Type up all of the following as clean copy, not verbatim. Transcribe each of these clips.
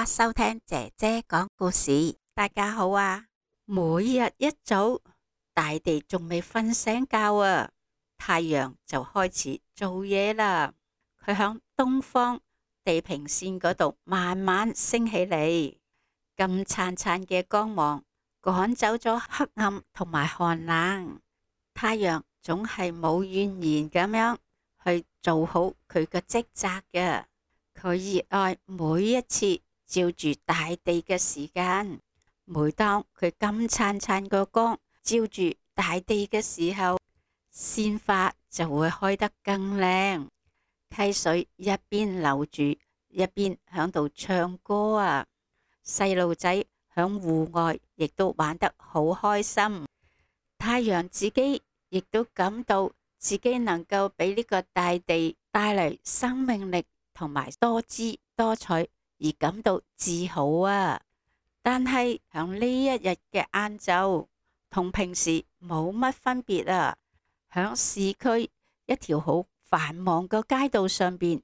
啦，收聽姐姐講故事。大家好啊！每日一早，大地仲未瞓醒覺啊，太陽就開始做嘢啦。佢響東方地平線嗰度慢慢升起嚟，金燦燦嘅光芒趕走咗黑暗同埋寒冷。太陽總係冇怨言咁樣去做好佢嘅職責嘅。佢熱愛每一次照住大地嘅時間。每當佢金燦燦個光照住大地嘅時候，鮮花就會開得更靚。溪水一邊流住，一邊響度唱歌啊！細路仔響戶外亦都玩得好開心。太陽自己亦都感到自己能夠俾呢個大地帶嚟生命力同埋多姿多彩而感到自豪啊！但係響呢一日嘅晏晝同平時冇乜分別啊！響市區一條好繁忙嘅街道上邊，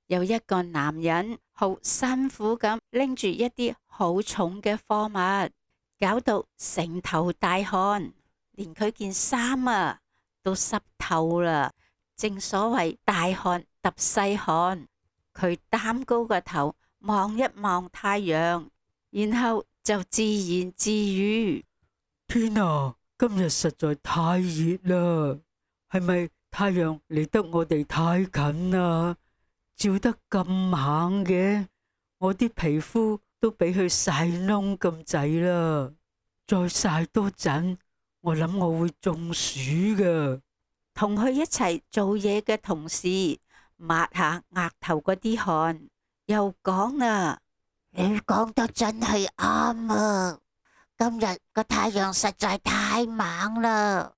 有一個男人好辛苦咁拎住一啲好重嘅貨物，搞到成頭大汗，連佢件衫啊都濕透啦。正所謂大汗揼細汗。佢擔高個頭望一望太陽，然後就自言自語：天啊，今日實在太熱啦！係咪太陽離得我哋太近啊？照得咁猛嘅，我啲皮膚都俾佢曬燶咁滯啦！再曬多陣，我諗我會中暑噶。同佢一齊做嘢嘅同事抹下額頭嗰啲汗，又講啊：你講得真係啱啊！今日個太陽實在太猛啦，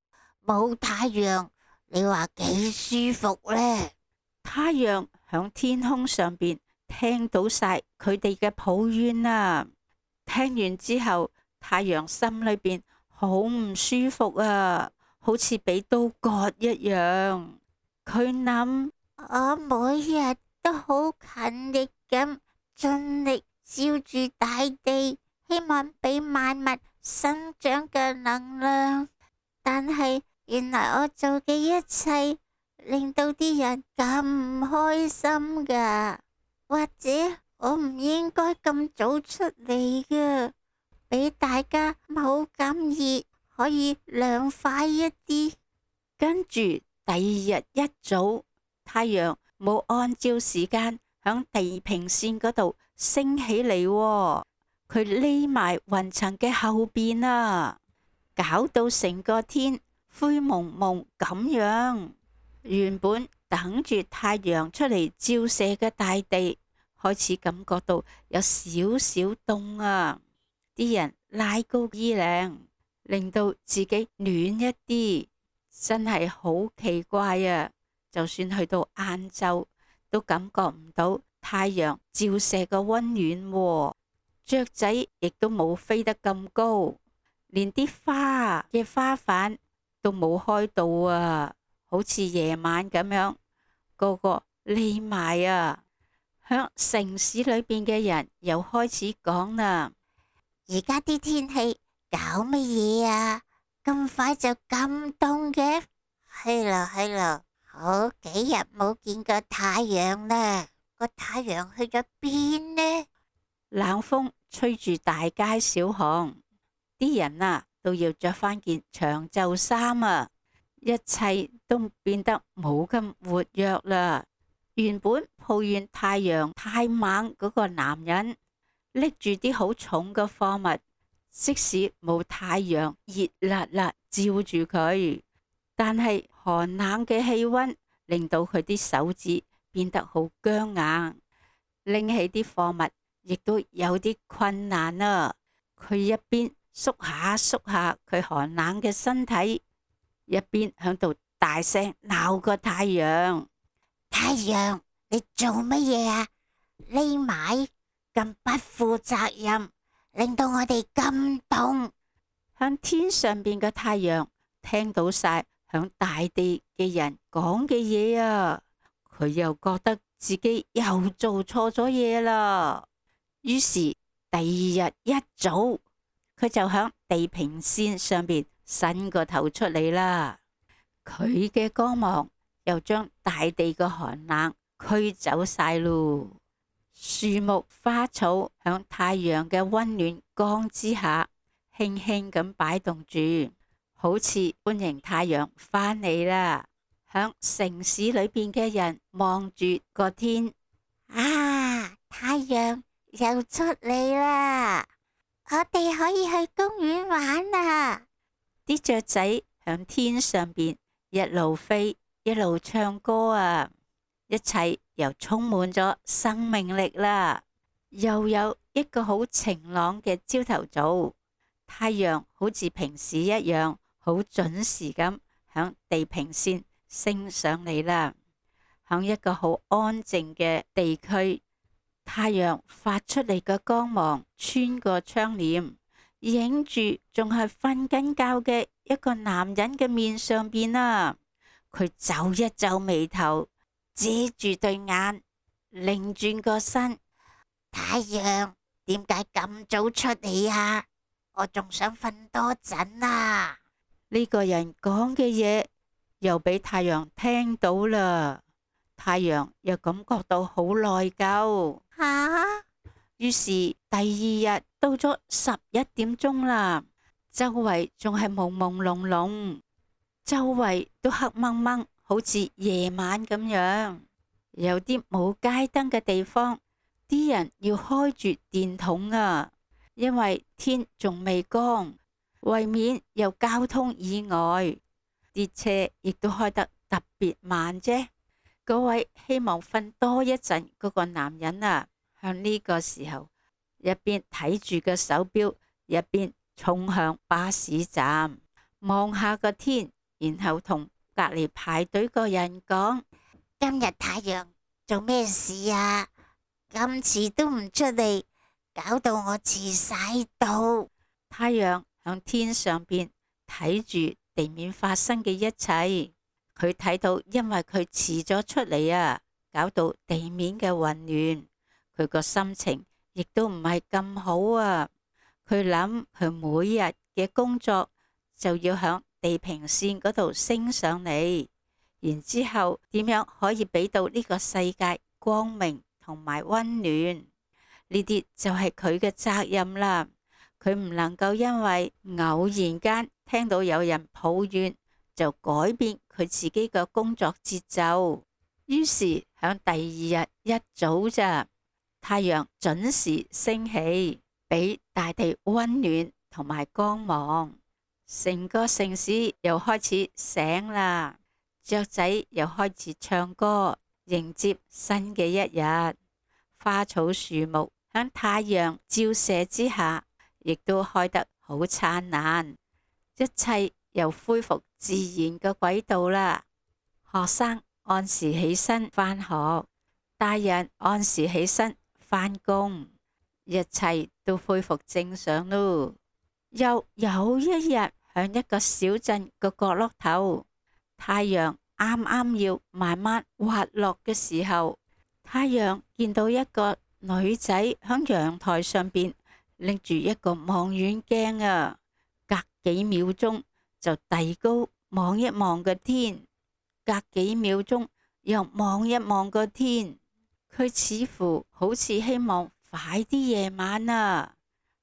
冇太陽，你話幾舒服呢？太陽響天空上邊聽到晒佢哋嘅抱怨啊！聽完之後，太陽心裏邊好唔舒服啊，好似俾刀割一樣。佢諗：我每日都好勤力咁盡力照住大地，希望俾萬物生長嘅能量。但係原來我做嘅一切令到啲人咁唔開心噶，或者我唔應該咁早出嚟噶，俾大家冇咁熱，可以涼快一啲。跟住第二日一早，太陽冇按照時間響地平線嗰度升起嚟喎，佢匿埋雲層嘅後邊啊，搞到成個天灰蒙蒙咁樣。原本等住太陽出嚟照射嘅大地，開始感覺到有少少凍啊！啲人拉高衣領，令到自己暖一啲，真係好奇怪啊！就算去到晏晝，都感覺唔到太陽照射嘅溫暖喎。雀仔亦都冇飛得咁高，連啲花嘅花瓣都冇開到啊！好似夜晚咁樣，個個匿埋啊！響城市裏邊嘅人又開始講啦：而家啲天氣搞乜嘢啊？咁快就咁凍嘅？係啦，好幾日冇見過太陽啦，個太陽去咗邊呢？冷風吹住大街小巷，啲人啊都要着翻件長袖衫啊！一切都變得冇咁活躍啦。原本抱怨太陽太猛嗰個男人，拎住啲好重嘅貨物，即使冇太陽熱辣辣照住佢，但係寒冷嘅氣溫令到佢啲手指變得好僵硬，拎起啲貨物亦都有啲困難啊！佢一邊縮下佢寒冷嘅身體，一邊響度大聲鬧個太陽：太陽，你做乜嘢啊？匿埋咁不負責任，令到我哋咁凍。向天上邊嘅太陽聽到晒響大地嘅人講嘅嘢啊，佢又覺得自己又做錯咗嘢啦。於是第二日一早，佢就響地平線上邊伸個頭出嚟啦。佢嘅光芒又將大地嘅寒冷驅走晒咯。樹木花草響太陽嘅溫暖光之下，輕輕咁擺動住，好似歡迎太陽返嚟啦。響城市裏邊嘅人望住個天，啊，太陽又出嚟啦！我哋可以去公園玩啦！啲雀仔響天上邊一路飛一路唱歌啊！一切又充滿咗生命力啦！又有一個好晴朗嘅朝頭早，太陽好似平時一樣，好準時咁響地平線升上嚟啦。響一個好安靜嘅地區，太陽發出嚟嘅光芒穿過窗簾，影住仲係瞓緊覺嘅一個男人嘅面上邊啊！佢皺一皺眉頭，遮住對眼，擰轉個身。太陽點解咁早出嚟啊？我仲想瞓多陣啊！呢個人講嘅嘢又俾太陽聽到啦，太陽又感覺到好內疚。於是第二日到咗11點鐘啦，周圍仲係朦朦朧朧，周圍都黑掹掹，好似夜晚咁樣。有啲冇街燈嘅地方，啲人要開住電筒啊，因為天仲未光，為免有交通意外，啲車亦都開得特別慢啫。嗰位希望瞓多一陣嗰個男人啊，向呢個時候一邊睇住個手錶，一邊衝向巴士站，望下個天，然後同隔籬排隊個人講：今日太陽做咩事啊？咁遲都唔出嚟，搞到我遲晒到。太陽響天上邊睇住地面發生嘅一切，佢睇到因為佢遲咗出嚟啊，搞到地面嘅混亂，佢個心情亦都唔係咁好啊。佢諗佢每日嘅工作就要響地平線嗰度升上嚟，然之後點樣可以俾到呢個世界光明同埋溫暖，呢啲就係佢嘅責任啦。佢唔能夠因為偶然間聽到有人抱怨就改變佢自己嘅工作節奏。於是響第二日一早咋，太陽準時升起，俾大地溫暖同埋光芒，成個城市又開始醒啦，雀仔又開始唱歌，迎接新嘅一日。花草樹木響太陽照射之下，亦都開得好燦爛，一切又恢復自然嘅軌道啦。學生按時起身返學，大人按時起身返工，一切都恢復正常咯。又有一日，響一個小鎮嘅角落頭，太陽啱啱要慢慢滑落嘅時候，太陽見到一個女仔響陽台上邊拎住一個望遠鏡啊，隔幾秒鐘就遞高望一望個天，隔幾秒鐘又望一望個天。佢似乎好似希望快啲夜晚啊，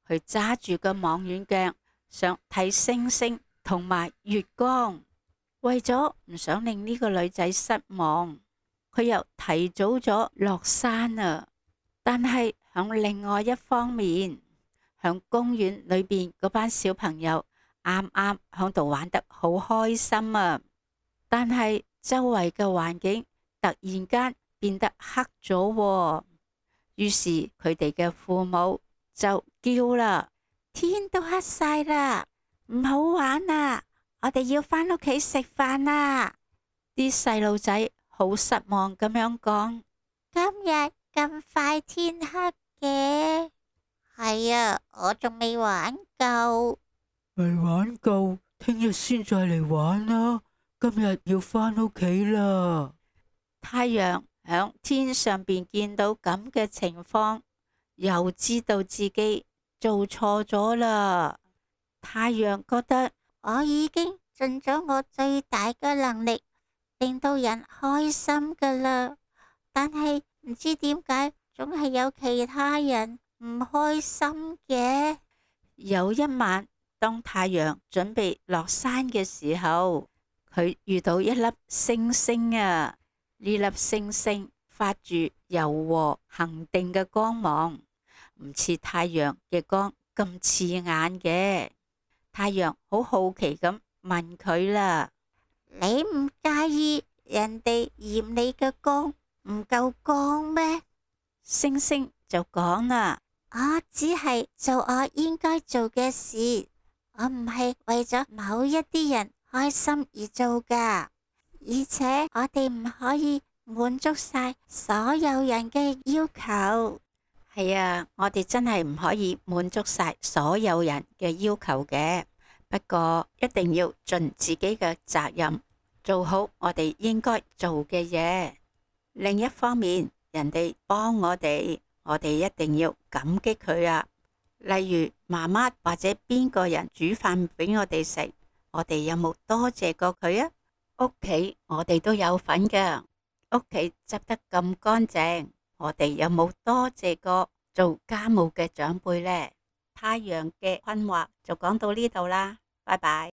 佢揸住個望遠鏡想睇星星同埋月光。為咗唔想令呢個女仔失望，佢又提早咗落山啊。但係響另外一方面，響公園裏邊嗰班小朋友啱啱響度玩得好開心啊，但係周圍嘅環境突然間變得黑咗，於是佢哋嘅父母就叫啦：天都黑晒啦，唔好玩啦，我哋要返屋企食飯啦。啲細路仔好失望咁樣講：今日咁快天黑嘅？係啊，我仲未玩夠。未玩夠，聽日先再嚟玩啦。今日要返屋企啦。太陽響天上邊見到咁嘅情況，又知道自己做錯咗啦。太陽覺得我已經盡咗我最大嘅能力，令到人開心噶啦，但係唔知點解總係有其他人唔開心嘅。有一晚，當太陽準備落山嘅時候，佢遇到一粒星星啊！呢粒星星發住柔和恒定嘅光芒，唔似太陽嘅光咁刺眼嘅。太陽好好奇咁問佢啦：你唔介意人哋嫌你嘅光唔夠光咩？星星就講啦：我只係做我應該做嘅事，我唔係為咗某一啲人開心而做噶，而且我哋唔可以滿足晒所有人嘅要求。係啊，我哋真係唔可以滿足晒所有人嘅要求嘅，不過一定要盡自己嘅責任，做好我哋應該做嘅嘢。另一方面，人哋幫我哋一定要感激佢啊。例如媽媽或者邊個人煮飯俾我哋食，我哋有冇多謝過佢啊？屋企我哋都有份㗎，屋企執得咁乾淨，我哋有冇多謝過做家務嘅長輩呢？太陽嘅困惑就講到呢度啦，拜拜。